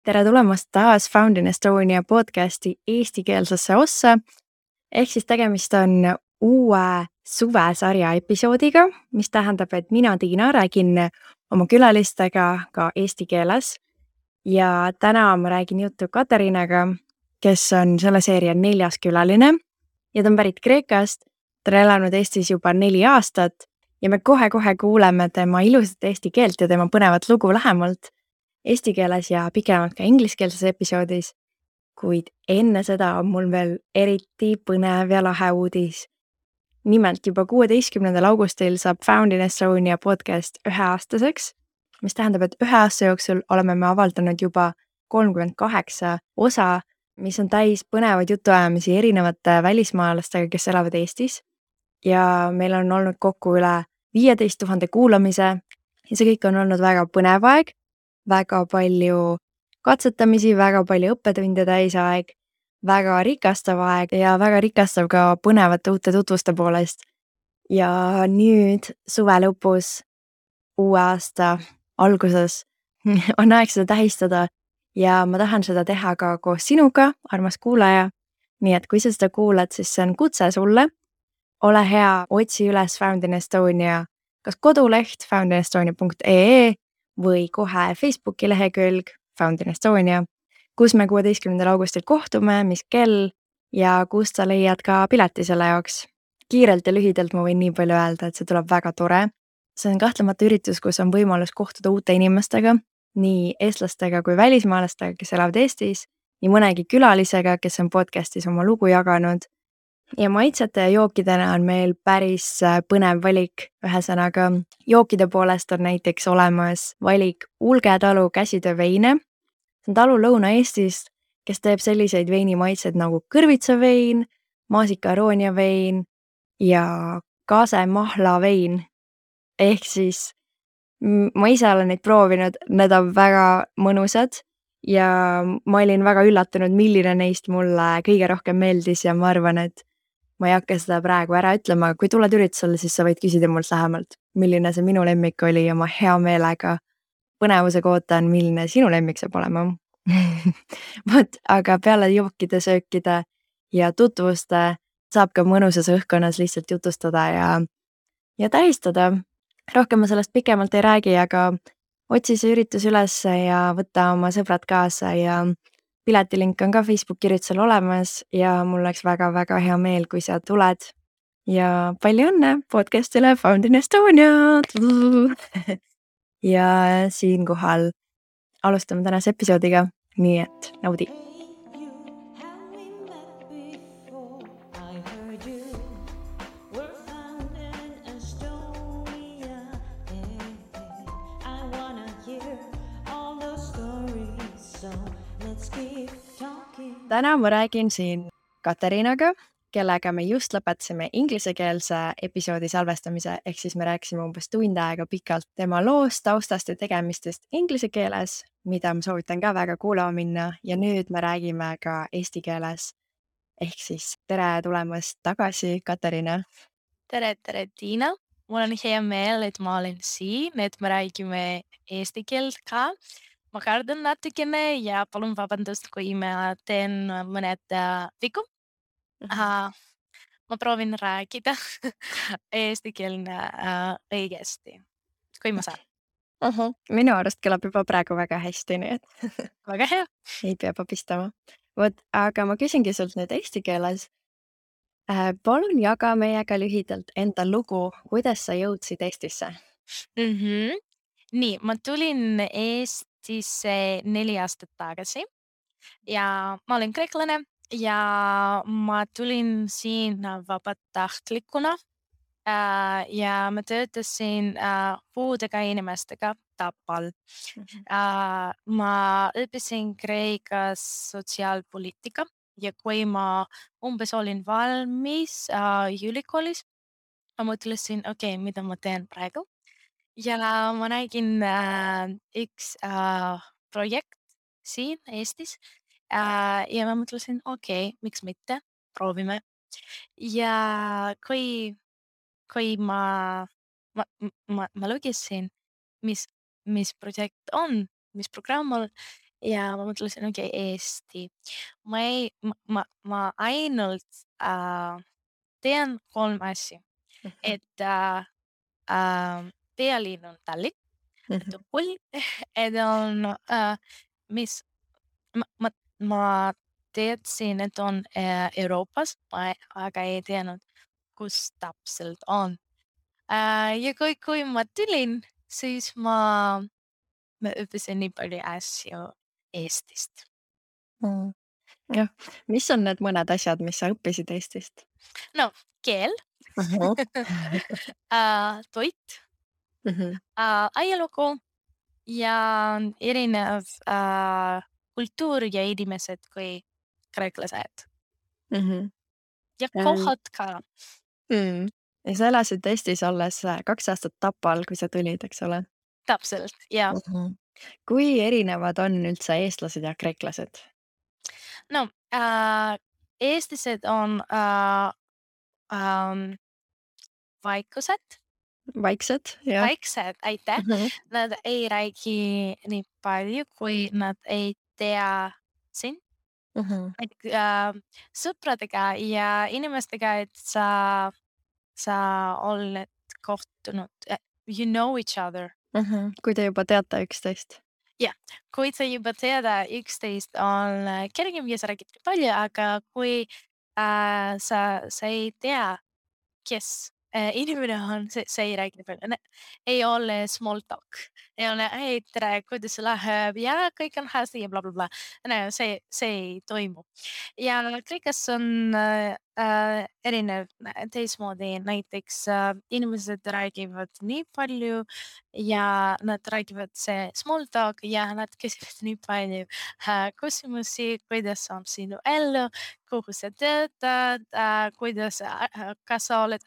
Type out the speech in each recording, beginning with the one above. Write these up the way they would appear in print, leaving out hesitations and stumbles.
Tere tulemast taas Found in Estonia podcasti eestikeelsesse ossa. Ehk siis tegemist on uue suvesarja episoodiga, mis tähendab, et mina, Tiina, räägin oma külalistega ka eesti keeles. Ja täna ma räägin juttu Katariinaga, kes on selle seeria 4. külaline ja ta on pärit Kreekast. Ta on elanud Eestis juba 4 aastat ja me kohe-kohe kuuleme tema ilusat eesti keelt ja tema põnevat lugu lähemalt eesti keeles ja pikemalt ka ingliskeelses episoodis. Kuid enne seda on mul veel eriti põnev ja lahe uudis. Nimelt juba 16. augustil saab Found in Estonia podcast 1-aastaseks, mis tähendab, et 1 aasta jooksul oleme me avaldanud juba 38 osa, mis on täis põnevaid jutuajamisi erinevate välismaalastega, kes elavad Eestis. Ja meil on olnud kokku üle 15 000 kuulamise ja see kõik on olnud väga põnev aeg, väga palju katsetamisi, väga palju õppetunde täis aeg, väga rikastav aeg ja väga rikastav ka põnevate uute tutvuste poolest. Ja nüüd suve lõpus, uue aasta alguses on aeg seda tähistada ja ma tahan seda teha ka koos sinuga, armas kuulaja. Nii et kui sa seda kuulad, siis see on kutse sulle. Ole hea, otsi üles Found in Estonia, kas koduleht foundinestonia.ee või kohe Facebooki lehekülg Found in Estonia, kus me 16. augustil kohtume, mis kell ja kus sa leiad ka pileti selle jaoks. Kiirelt ja lühidalt ma võin nii palju öelda, et see tuleb väga tore. See on kahtlemata üritus, kus on võimalus kohtuda uute inimestega, nii eestlastega kui välismaalastega, kes elavad Eestis, nii mõnegi külalisega, kes on podcastis oma lugu jaganud. Ja maitsete ja jookidena on meil päris põnev valik. Ühesõnaga, jookide poolest on näiteks olemas valik Ulge talu käsitööveine. See on talu Lõuna-Eestist, kes teeb selliseid veinimaitsed nagu kõrvitsavein, maasikaaronia vein ja kasemahla-vein. Ehk siis ma ise olen neid proovinud, need on väga mõnusad ja ma olin väga üllatunud, milline neist mulle kõige rohkem meeldis ja ma arvan, et ma ei hakka seda praegu ära ütlema, kui tuled üritusele, siis sa võid küsida mult lähemalt, milline see minu lemmik oli ja ma hea meelega põnevusega ootan, milline sinu lemmik saab olema. Vot, aga peale jookide, söökide ja tutvuste saab ka mõnusas õhkkonnas lihtsalt jutustada ja tähistada. Rohkem ma sellest pikemalt ei räägi, aga otsi see üritus üles ja võta oma sõbrad kaasa ja piletilink on ka Facebooki üritusel olemas ja mul oleks väga-väga hea meel, kui sa tuled. Ja palju õnne podcastile Found in Estonia! Ja siinkohal alustame tänase episoodiga, nii et naudi! Täna ma räägin siin Katariinaga, kellega me just lõpetasime ingliskeelse episoodi salvestamise, ehk siis me rääkisime umbes tund aega pikalt tema loost, taustast ja tegemistest inglise keeles, mida ma soovitan ka väga kuulama minna ja nüüd me räägime ka eesti keeles. Ehk siis tere tulemast tagasi, Katariina. Tere, Tiina. Mul on hea meel, et ma olen siin, et me räägime eesti keelt ka. Ma kardan natukene ja palun vabandust, kui ma teen mõned vigu. Ma proovin rääkida eestikeelne õigesti, kui ma saan. Minu arust kõlab juba praegu väga hästi, nii et Väga hea. ei pea papistama. Vot, aga ma küsingi sult nüüd eesti keeles. Palun jaga meiega lühidalt enda lugu, kuidas sa jõudsid Eestisse? Nii, ma tulin Eestisse 4 aastat tagasi ja ma olen kreeklane ja ma tulin siin vabatahtlikuna ja ma töötasin puudega inimestega Tapal. Ma õppisin Kreekas sotsiaalpoliitika ja kui ma umbes olin valmis ülikoolis, ma mõtlesin, okei, mida ma teen praegu. Ja ma nägin üks projekt siin Eestis ja ma mõtlesin, okei, miks mitte, proovime. Ja kui ma lugesin, mis projekt on, mis programm on ja ma mõtlesin, okei, Eesti. Ma ainult tean 3 asja, et pealinn on Tallinn, et on Kulm, et on mis ma teadsin, et on Euroopas, aga ei teadnud, kus täpselt on. Ja kui ma tulin, siis ma õppisin nii palju asju Eestist. Jah, mis on need mõned asjad, mis sa õppisid Eestist? No keel, toit, ajalugu ja erinev kultuur ja inimesed kui kreeklased ja kohad ka. Ja sa elasid Eestis alles 2 aastat Tapal, kui sa tulid, eks ole? Täpselt, ja. Kui erinevad on üldse eestlased ja kreeklased? No eestlased on vaikused, Vaiksed, jah. vaiksed, aitäh. Nad ei räägi nii palju, kui nad ei tea sind. Sõpradega ja inimestega, et sa oled kohtunud, you know each other. Kui te juba teate üksteist. Jah, kui sa juba teada üksteist, on kergem ja sa räägid ka palju, aga kui sa ei tea, kes inimene on, see ei räägi nii palju. Ei ole small talk. Ei ole, hei, tere, kuidas sul läheb ja kõik on hästi ja blablabla. See ei toimu. Ja Kreekas on erinev teistmoodi, näiteks inimesed räägivad nii palju ja nad räägivad see small talk ja nad küsivad nii palju küsimusi, kuidas on sinu elu, kuhu sa töötad, kuidas, kas sa oled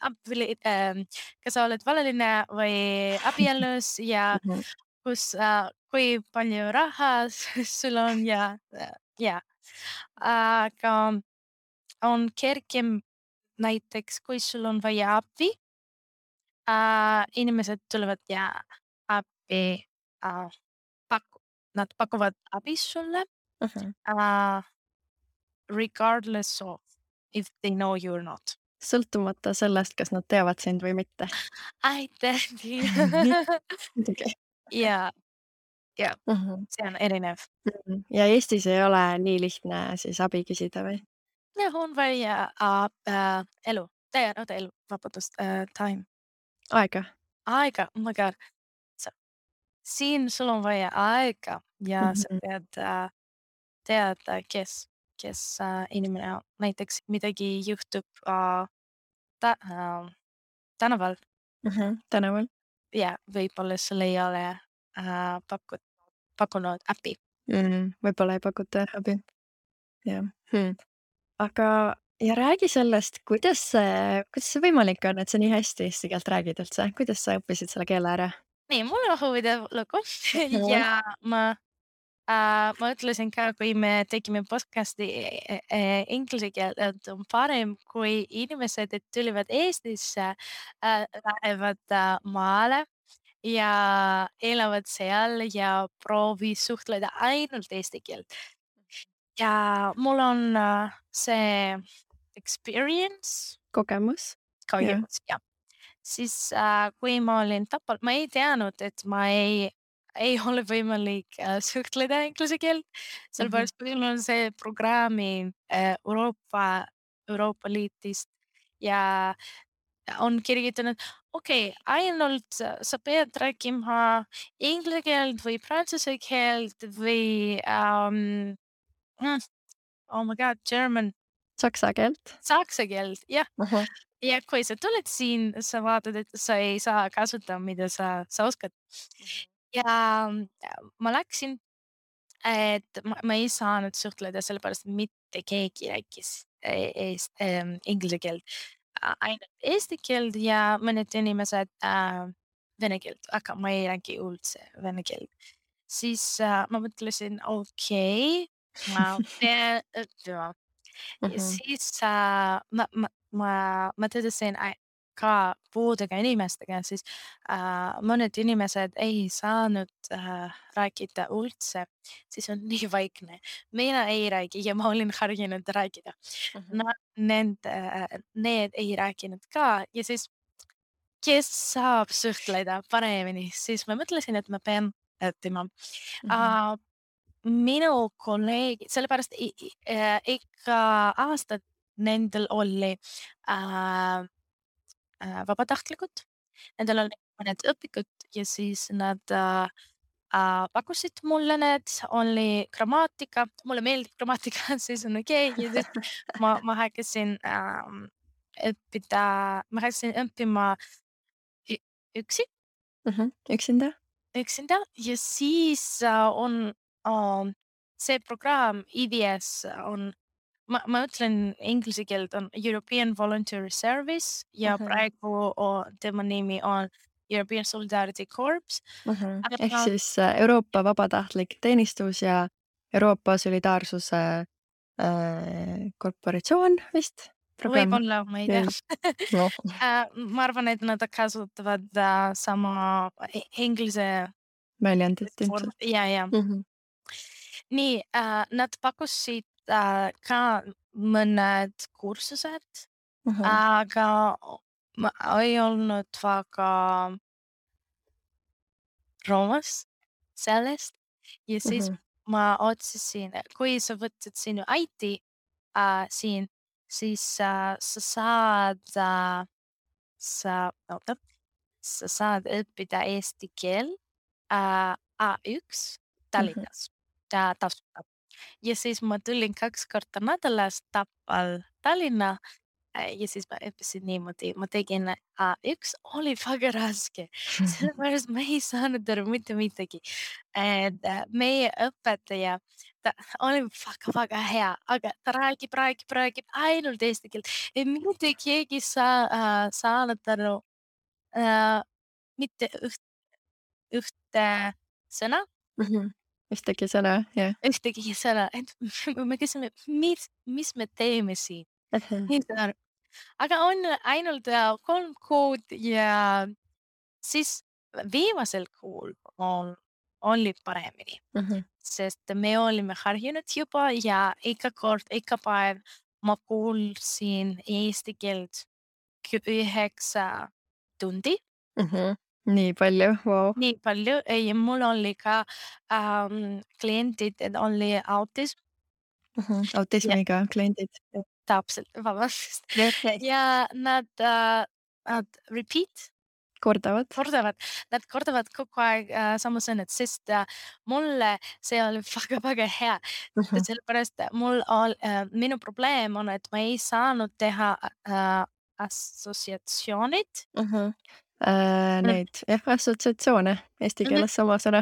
kas sa oled valaline või abielus ja kus, kui palju raha sul on ja. Aga on kergem näiteks, kui sul on vaja abi, inimesed tulevad ja appi nad pakuvad abi sulle regardless of if they know you or not. Sõltumata sellest, kas nad teavad sind või mitte. Aitäh, Tiina. Muidugi. ja see on erinev. Ja Eestis ei ole nii lihtne siis abi küsida või? Jah, on vaja elu, vabandust, time. Aega. Aega, oh my god. Siin sul on vaja aega ja sa pead teada, kes inimene on. Näiteks midagi juhtub tänaval Tänaval. ja võib-olla sul ei ole pakkunud äpi. Võib-olla ei pakuta abi. Jah. Aga ja räägi sellest, kuidas see võimalik on, et sa nii hästi eesti keelt räägid üldse? Kuidas sa õppisid selle keele ära? Nii, mul on huvitav lugu ja ma ütlesin ka, kui me tegime podcast'i inglise keelt, et on parem, kui inimesed, et tulevad Eestisse, lähevad maale ja elavad seal ja proovi suhtleda ainult eesti keelt. Ja mul on see experience, Kogemus? jah. Siis kui ma olin Tapal, ma ei teadnud, et ma ei ole võimalik suhtleda inglise keelt, sellepärast meil on see programmi Euroopa Liidist ja on kirjutanud, okei, ainult sa pead rääkima inglise keelt või prantsuse keelt või oh my god, German. Saksa keelt? Saksa keelt, jah. Ja kui sa tuled siin, sa vaatad, et sa ei saa kasutada, mida sa oskad. Ja ma läksin, et ma ei saanud suhtleda, sellepärast mitte keegi rääkis inglise keelt. Ainult eesti keelt ja mõned inimesed vene keelt, aga ma ei räägi üldse vene keelt. Siis ma mõtlesin, okei, ma pean õppima. Ja siis ma töötasin ka puudega inimestega, siis mõned inimesed ei saanud rääkida üldse, siis on nii vaikne. Mina ei räägi ja ma olin harjunud rääkida. Need ei rääkinud ka ja siis kes saab suhtleda paremini, siis ma mõtlesin, et ma pean õppima. Minu kolleegid, sellepärast ikka aastad nendel oli vabatahtlikud, nendel oli mõned õpikud ja siis nad pakkusid mulle need, oli grammaatika, mulle meeldib grammaatika, siis on okei ja siis ma hakkasin õppima üksi. Üksinda? Üksinda ja siis on see programm EVS on, ma ütlen inglise keelt, on European Voluntary Service ja praegu tema nimi on European Solidarity Corps. Ehk siis Euroopa vabatahtlik teenistus ja Euroopa solidaarsuse korporatsioon vist? Võib-olla, ma ei tea. No. Ma arvan, et nad kasutavad sama inglise Väljendit form. ilmselt. Ja. Nii, nad pakkusid ka mõned kursused, aga ma ei olnud väga rõõmus sellest ja siis ma otsisin, kui sa võtad sinu IT siin, siis sa saad õppida eesti keel A1 Tallinnas tasuta. Ja siis ma tulin 2 korda nädalas Tapal Tallinna ja siis ma õppisin niimoodi, ma tegin A1, oli väga raske, sellepärast ma ei saanud aru mitte midagi. Meie õpetaja, ta oli väga hea, aga ta räägib ainult eesti keelt. Mitte keegi saanud aru mitte ühte sõna. Ühtegi sõna, jah. Ühtegi sõna, et me küsime, mis me teeme siin. Aga on ainult 3 kuud ja siis viimasel kuul oli paremini, sest me olime harjunud juba ja iga päev ma kuulsin eesti keelt 9 tundi. Nii palju, vau. Nii palju ja mul oli ka kliendid, et oli autism. Autismiga kliendid. Täpselt, vabandust. Ja nad Kordavad. Nad kordavad kogu aeg sama sõnad, sest mulle see oli väga hea. Sellepärast minu probleem on, et ma ei saanud teha assotsiatsioonid. Neid, jah, assotsiatsioone, eesti keeles sama sõna.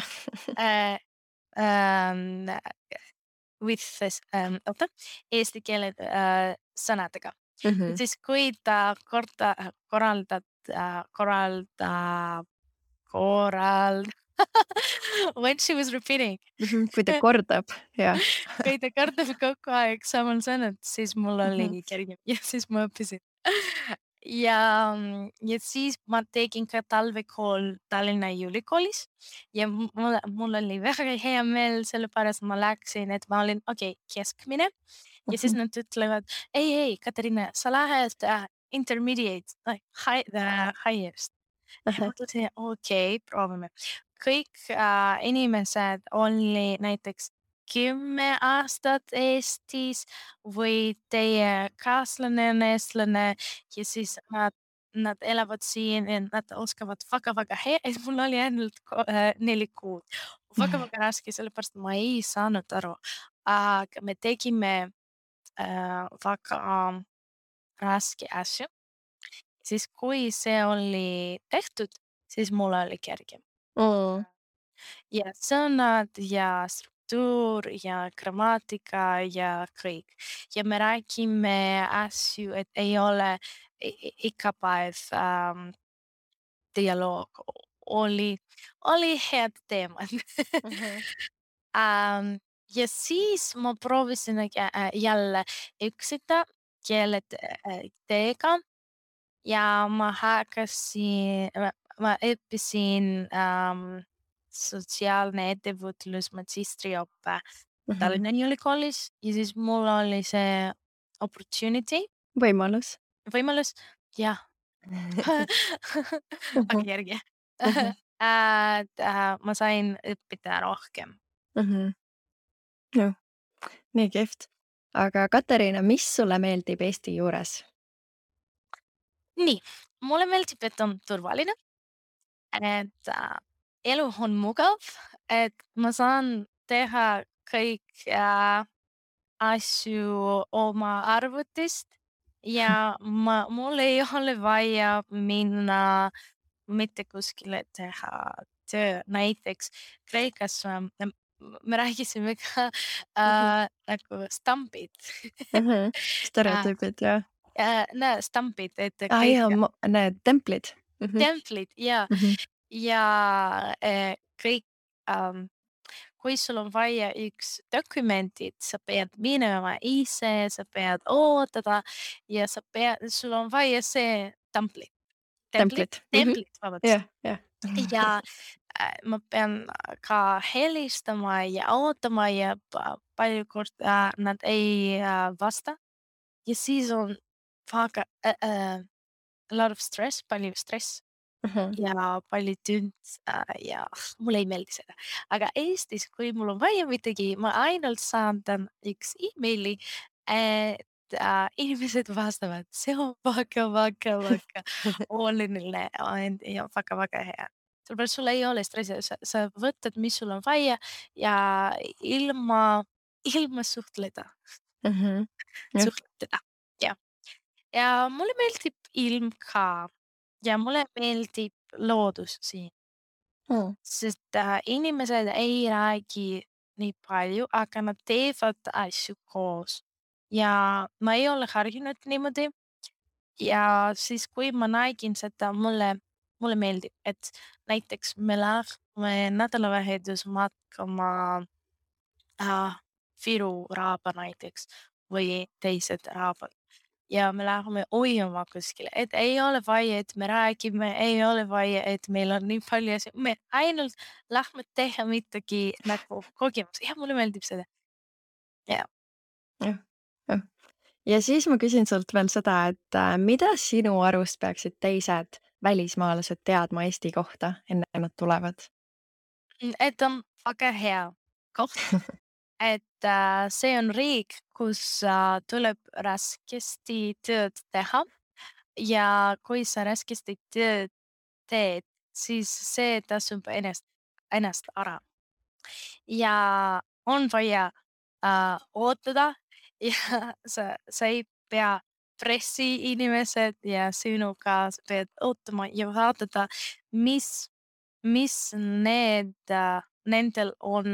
With this, eesti keele sõnadega. Siis kui ta when she was repeating. Kui ta kordab, jah. Kui ta kordab kogu aeg samal sõnad, siis mul oli kergem ja siis ma õppisin. Ja siis ma tegin ka talvekool Tallinna Ülikoolis ja mul oli väga hea meel, sellepärast ma läksin, et ma olin keskmine ja siis nad ütlevad, ei, Katariina, sa lähed intermediate, highest. Ja ma mõtlesin, okei, proovime. Kõik inimesed oli näiteks 10 aastat Eestis või teie kaaslane on eestlane ja siis nad elavad siin ja nad oskavad väga hea, et mul oli ainult 4 kuud. Väga raske, sellepärast ma ei saanud aru, aga me tegime väga raske asju. Siis kui see oli tehtud, siis mul oli kergem. Ja sõnad ja struktuur ja grammaatika ja kõik. Ja me räägime asju, et ei ole iga päev dialoog. Oli head teemad. Ja siis ma proovisin jälle üksinda keeleteega ja ma õppisin sotsiaalne ettevõtlus magistriõppe Tallinna Ülikoolis ja siis mul oli see opportunity, võimalus, jah, aga järgi, et ma sain õppida rohkem. Noh, nii kihvt. Aga Katariina, mis sulle meeldib Eesti juures? Nii, mulle meeldib, et on turvaline, et elu on mugav, et ma saan teha kõik asju oma arvutist ja mul ei ole vaja minna mitte kuskile teha töö. Näiteks Kreekas me rääkisime ka nagu stampid. Stereotüübid, jah. Stampid, et Jaa, kõik need templid. templid ja kõik kui sul on vaja üks dokumendid, sa pead minema ise, sa pead oodata ja sul on vaja see Templid. vabandust. Jah. Ja ma pean ka helistama ja ootama ja palju korda nad ei vasta. Ja siis on väga a lot of stress, palju stress ja palju tööd ja mulle ei meeldi seda. Aga Eestis, kui mul on vaja midagi, ma ainult saatan üks emaili, et inimesed vastavad. See on väga oluline ja väga hea. Sellepärast sul ei ole stressi, sa võtad, mis sul on vaja ja ilma suhtleda, Jah. jah. Ja mulle meeldib ilm ka ja mulle meeldib loodus siin, sest inimesed ei räägi nii palju, aga nad teevad asju koos. Ja ma ei ole harjunud niimoodi ja siis, kui ma nägin seda, mulle meeldib, et näiteks me lähme nädalavahetus matkama Viru raaba näiteks või teised raabad. Ja me läheme ujuma kuskile, et ei ole vaja, et me räägime, ei ole vaja, et meil on nii palju asju, me ainult lähme teha midagi nagu kogemus. Ja mulle meeldib seda. Ja. Jah. Ja siis ma küsin sult veel seda, et mida sinu arust peaksid teised välismaalased teadma Eesti kohta, enne kui nad tulevad? Et on väga hea koht, et see on riik, kus tuleb raskesti tööd teha ja kui sa raskesti tööd teed, siis see tasub ennast ära. Ja on vaja ootada ja sa ei pea pressiinimesed ja sinuga, sa pead ootama ja vaadata, mis nendel on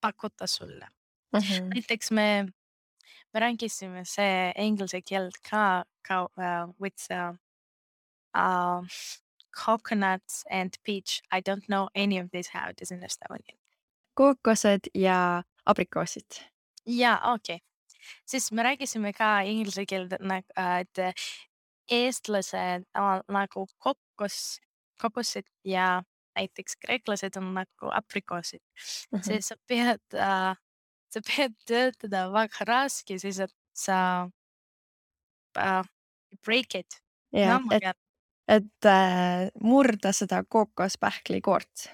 pakkuda sulle. Näiteks me rääkisime see inglise keelt ka with uh, coconuts and peach. I don't know any of this how it is in Estonian. Kookosed ja abrikoosid. Jaa, okei. Siis me rääkisime ka inglise keelt, et eestlased on nagu kokosed ja näiteks kreeklased on nagu aprikoosid. See sa pead töötada väga raske, siis et sa break it. Jah, No ma tean. et murda seda kookospähkli koort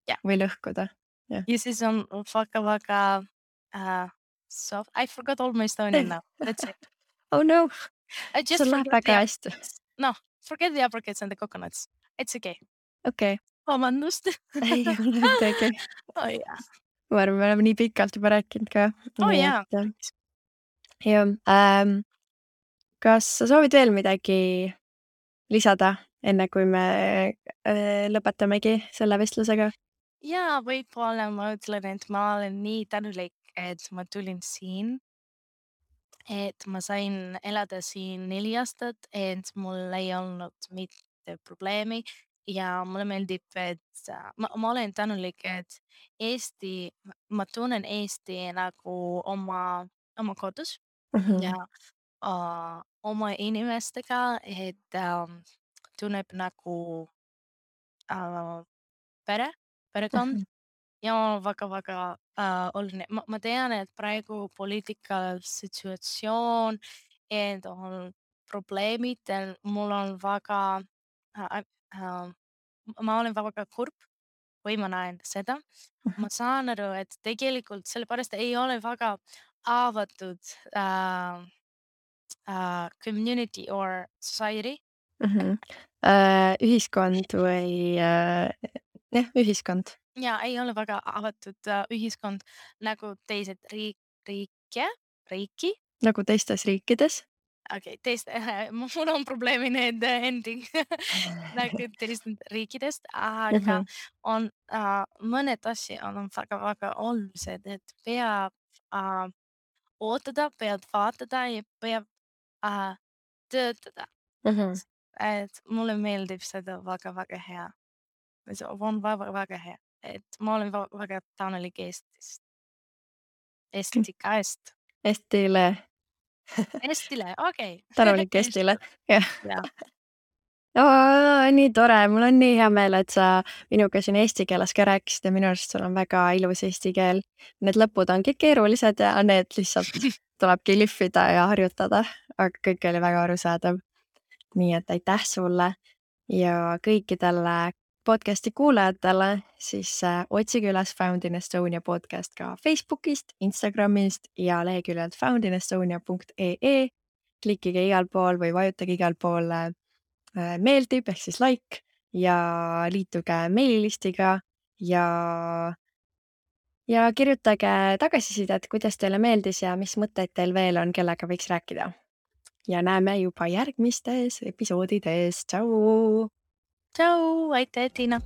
Jah. või lõhkuda. Ja siis on väga soft. I forgot all my Estonian now. That's it. Oh no, I just sul läheb forget the väga hästi. apricots. No, forget the apricots and the coconuts. It's okay. Okei. Vabandust. Ei ole midagi. Oh jaa. Ma arvan, me oleme nii pikalt juba rääkinud ka. Oh jaa. Jah, kas sa soovid veel midagi lisada, enne kui me lõpetamegi selle vestlusega? Jaa, võib-olla ma ütlen, et ma olen nii tänulik, et ma tulin siin. Et ma sain elada siin 4 aastat, et mul ei olnud mitte probleemi ja mulle meeldib, et ma olen tänulik, et ma tunnen Eesti nagu oma kodus ja oma inimestega, et tunneb nagu perekond Mhm, ja väga-väga oluline. Ma tean, et praegu poliitikal situatsioon, et on probleemid, mul on väga äh, äh, ma olen väga kurb, kui ma näen seda. mhm, Ma saan aru, et tegelikult sellepärast ei ole väga avatud community or society. mhm. Ühiskond või jah, ühiskond Ja ei ole väga avatud ühiskond nagu teised riiki. nagu teistes riikides. Okei, mul on probleemi need ending nagu teistest riikidest, aga Mhm, on mõned asjad on väga-väga olulised, et peab ootada, peab vaatada ja peab töötada. mhm. Et mulle meeldib seda väga-väga hea. See on väga-väga hea, et ma olen väga tänulik Eestika eest. Eestile, Eestile, okei. tänulik Eestile, Eestile, jah. jah. Nii tore, mul on nii hea meel, et sa minuga siin eesti keeles ka rääkisid ja minu arust sul on väga ilus eesti keel. Need lõpud ongi keerulised ja need lihtsalt tulebki lihvida ja harjutada, aga kõik oli väga arusaadav. Nii et aitäh sulle ja kõikidele podcasti kuulajatele siis otsige üles Found in Estonia podcast ka Facebookist, Instagramist ja leheküljelt foundinestonia.ee. Klikkige igal pool või vajutage igal pool meeldib ehk siis like ja liituge meililistiga ja kirjutage tagasisidet, kuidas teile meeldis ja mis mõtteid teil veel on, kellega võiks rääkida. Ja näeme juba järgmistes episoodides. Tšau! Tšau, aitäh, Tiina!